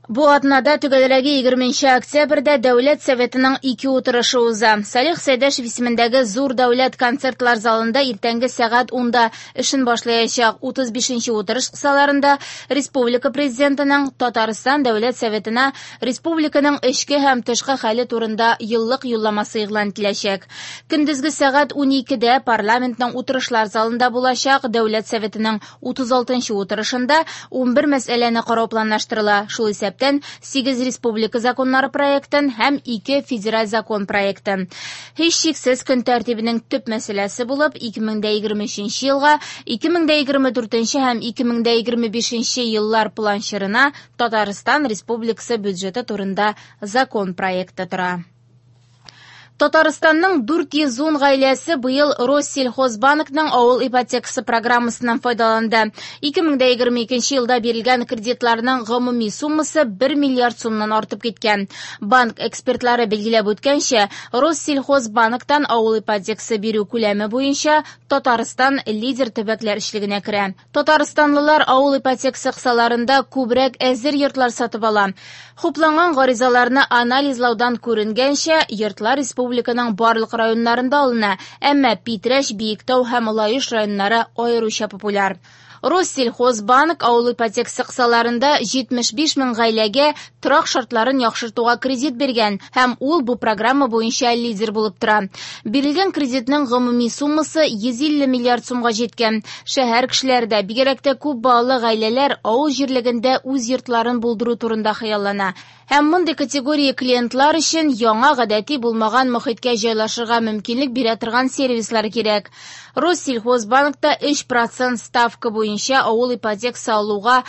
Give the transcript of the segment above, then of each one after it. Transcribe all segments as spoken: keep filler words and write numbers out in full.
Бу атнада, төгәлрәге егерменче октябрьдә, Дәүләт Советының ике утырышы уза. Салих Сәйдәшев исемендәге Зур дәүләт концертлар залында иртәнге сәгать унда эшен башлаячак утыз бишенче утырыш кысаларында республика президентының Татарстан Дәүләт Советына республиканың эчке һәм тышкы хәле турында еллык юлламасы игълан ителәчәк. Көндезге сәгать уникедә парламентның утырышлар залында булачак Дәүләт Советының утыз алтынчы утырышында унбер мәсьәләне карау планлаштырыла. Шул исәптән сигез республика законнары проектын һәм ике федераль закон проектын. Һичшиксез көн тәртибенең төп мәсьәләсе булып ике мең дә егерме өченче елга, ике мең дә егерме дүртенче һәм ике мең дә егерме бишенче еллар планчырына Татарстан Республикасы бюджеты турында закон проекты тора. Татарстанның дүрт йөз ун гаиләсе быел Россельхозбанкның авыл ипотекасы программасыннан файдаланды. Ике мең дә егерме икенче елда бирелгән кредитларның гомуми суммасы бер миллиард сумнан артып киткән. Банк экспертлары билгеләп үткәнчә, Россельхозбанктан авыл ипотекасы бирү күләме буенча Татарстан лидер төбәкләр эшлегенә керә. Татарстанлылар авыл ипотекасы кысаларында күбрәк әзер йортлар сатып ала. Хупланган гаризаларны анализлаудан күренгәнчә, йортлар республиканың барлык районнарында алына, әмма Питрәч, Биектау һәм Лаеш районнары аеруча популяр. Россельхозбанк авыл ипотекасы кысаларында җитмеш биш мең гаиләгә торак шартларын яхшыртуга кредит биргән һәм ул бу программа буенча лидер булып тора. Бирелгән кредитның гомуми суммасы йөз илле миллиард сумга җиткән. Шәһәр кешеләре дә, бигрәк тә күп балалы гаиләләр авыл җирлегендә үз йортларын булдыру турында хыяллана. Һәм мондый категория клиентлар өчен яңа гадәти булмаган мохиткә җайлашырга мөмкинлек бирә торган сервислар кирәк. Россельхозбанкта өч процент ставка буенча авыл ипотекасы алуга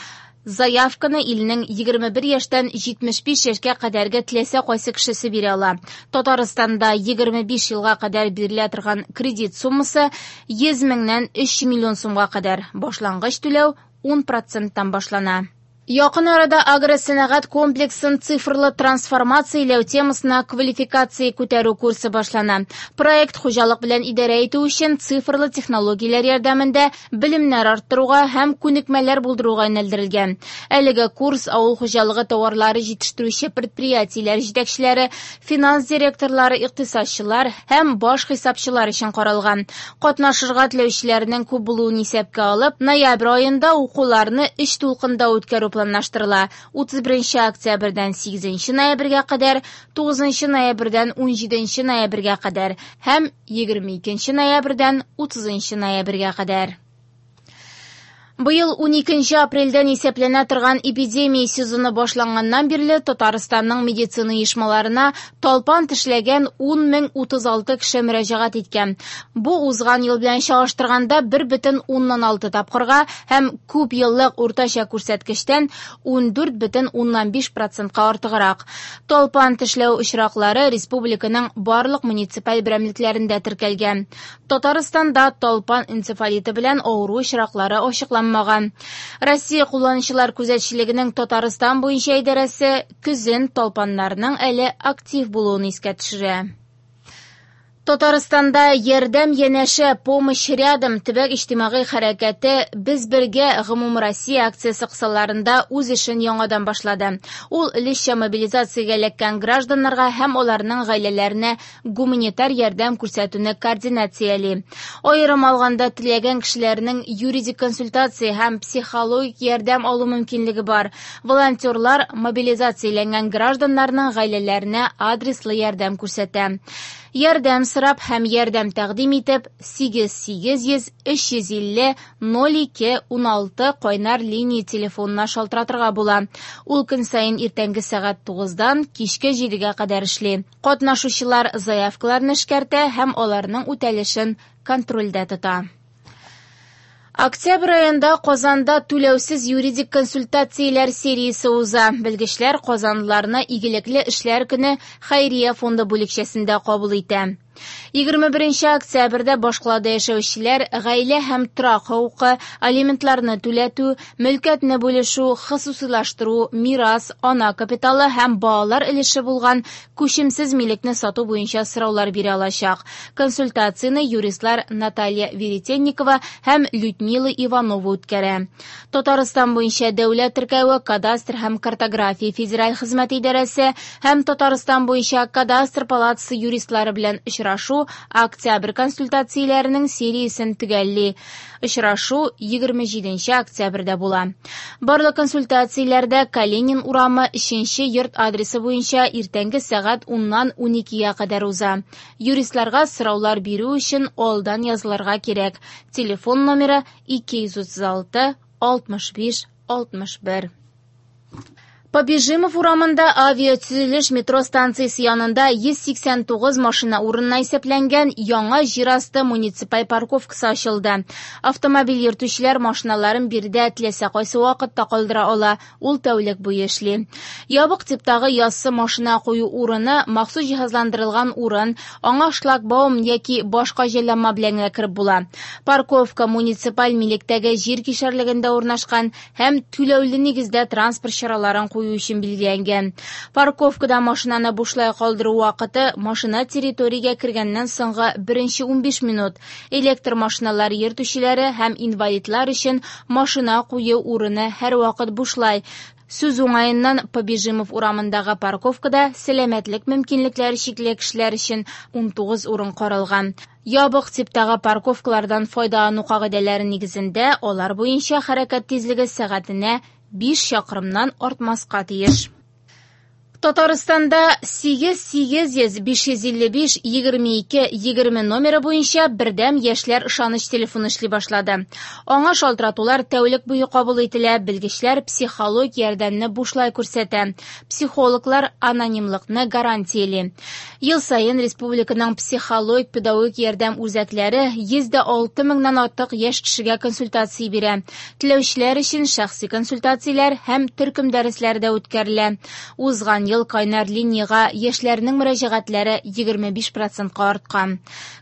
заявканы илнең егерме бер яшьтән җитмеш биш яшькә кадәрге теләсә кайсы кешесе бирә ала. Татарстанда егерме биш елга кадәр бирелә торган кредит суммасы йөз меңнән өч миллион сумга кадәр. Башлангыч түләү ун проценттан башлана. Якын арада агросәнәгать комплексын цифрлы трансформацияләү темасына квалификация күтәрү курсы башлана. Проект хуҗалык белән идарә итү өчен цифрлы технологияләр ярдәмендә белемнәр арттыруга һәм күнекмәләр булдыруга юнәлдерелгән. Әлеге курс авыл хуҗалыгы товарлары җитештерүче предприятиеләр җитәкчеләре, финанс директорлары, икътисадчылар һәм баш хисапчылар өчен каралган. Катнашырга теләүчеләрнең күп булуын исәпкә алып, ноябрь аенда укуларны өч тулкында үткәрү планлаштырыла. Утыз беренче октябрьдән сигезенче ноябрьгә кадәр, тугызынчы ноябрьдән унҗиденче ноябрьгә кадәр һәм егерме икенче ноябрьдән утызынчы ноябрьгә кадәр. Быел уникенче апрельдән исәпләнә торган эпидемия сезоны башланганнан бирле Татарстанның медицина оешмаларына талпан тешләгән ун мең утыз алты кеше мөрәҗәгать иткән. Бу узган ел белән чагыштырганда бер бөтен уннан алты тапкырга һәм күп еллык уртача күрсәткечтән ундүрт бөтен уннан биш процентка артыграк. Талпан тешләү очраклары республиканың барлык муниципаль берәмлекләрендә теркәлгән. Татарстанда талпан энцефалиты белән авыру очраклары ачыкланмаган. Россия кулланучылар күзәтчелегенең Татарстан буенча идарәсе көзен талпаннарның әле актив булуын искә төшерә. Татарстанда ярдәм янәшә, помощь рядом төбәк иҗтимагый хәрәкәте Без бергә гомумроссия акциясе кысаларында үз эшен яңадан башлады. Ул өлешчә мобилизациягә эләккән гражданнарга һәм аларның гаиләләренә гуманитар ярдәм күрсәтүне координацияли. Аерым алганда теләгән кешеләрнең юридик консультация һәм психологик ярдәм алу мөмкинлеге бар. Волонтерлар мобилизацияләнгән гражданнарның гаиләләренә адреслы ярдәм күрсәтә. Ярдәм сорап һәм ярдәм тәкъдим итеп сигез сигез йөз өч йөз илле ноль ике уналты кайнар линия телефонына шалтыратырга була. Ул көн саен иртәнге сәгать тугыздан кичке җидегә кадәр эшли. Катнашучылар заявкаларны эшкәртә һәм аларның үтәлешен контрольдә тота. Октябрь аенда Казанда түләүсез юридик консультацияләр сериясе уза. Белгечләр казанлыларны игелекле эшләр көне Хәйрия фонды бүлекчәсендә кабул итә. Егерме беренче октябрьдә башкалада яшәүчеләр гаилә һәм торак хокукы, алиментларны түләтү, мөлкәтне бүлешү, хосусыйлаштыру, мирас, ана капиталы һәм балалар өлеше булган күчемсез милекне сату буенча сораулар бирә алачак. Консультацияне юристлар Наталья Веретенникова һәм Людмила Иванова үткәрә. Татарстан буенча дәүләт теркәве, кадастр һәм картография федераль хезмәте идарәсе һәм Татарстан буенча кадастр палатасы юристлары белән очрашу октябрь консультацияләренең сериясен төгәлли. Очрашу егерме җиденче октябрьдә була. Барлык консультацияләрдә Калинин урамы өченче йорт адресы буенча иртәнге сәгать уннан уникегә кадәр уза. Юристларга сораулар бирү өчен алдан язылырга кирәк. Телефон номеры ике йөз утыз алты алтмыш биш алтмыш бер. Побежимов урамында авиатөзелеш метро станциясе янында йөз сиксән тугыз машина урынына исәпләнгән яңа җир асты муниципаль парковкасы ачылды. Автомобиль йөртүчеләр машиналарын биредә теләсә кайсы вакытта калдыра ала, ул тәүлек буе эшли. Ябык типтагы яссы машина кую урыны махсус җиһазландырылган урын, аңа шлагбаум яки башка җайланма белән генә кереп була. Парковка муниципаль милектәге җир кишәрлегендә урнашкан һәм түләүле нигездә транспорт чараларын кую өчен билгеләнгән. Парковкада машинаны бушлай калдыру вакыты машина территориягә кергәннән соңгы беренче унбиш минут. Электр машиналары йөртүчеләре һәм инвалидлар өчен машина кую урыны һәрвакыт бушлай. Сүз уңаеннан Побежимов урамындагы парковкада сәламәтлек мөмкинлекләре чикле кешеләр өчен унтугыз урын каралган. Ябык типтагы парковкалардан файдалану кагыйдәләре нигезендә алар буенча хәрәкәт тизлеге сәгатенә биш чакрымнан артмаска тиеш. Татарстанда сигез сигез йөз биш йөз илле биш егерме ике егерме номеры буенча бердәм яшьләр ышаныч телефоны эшли башлады. Аңа шалтыратулар тәүлек буе кабул ителә, белгечләр психологик ярдәмне бушлай күрсәтә. Психологлар анонимлыкны гарантияли. Ел саен республиканың психологик педагогик ярдәм үзәкләре йөз дә алты меңнән артык яшь кешегә консультация бирә. Теләүчеләр өчен шәхси консультацияләр һәм төркем дәресләре дә үткәрелә. Узган ел кайнар линияга яшьләрнең мөрәҗәгатьләре егерме биш процентка арткан.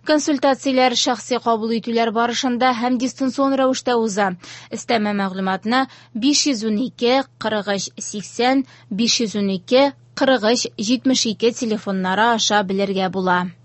Консультацияләр шәхси кабул итүләр барышында һәм дистанцион рәвештә уза. Өстәмә мәгълүматны биш йөз унике кырык өч сиксән, биш йөз унике кырык өч җитмеш ике телефоннары аша белергә була.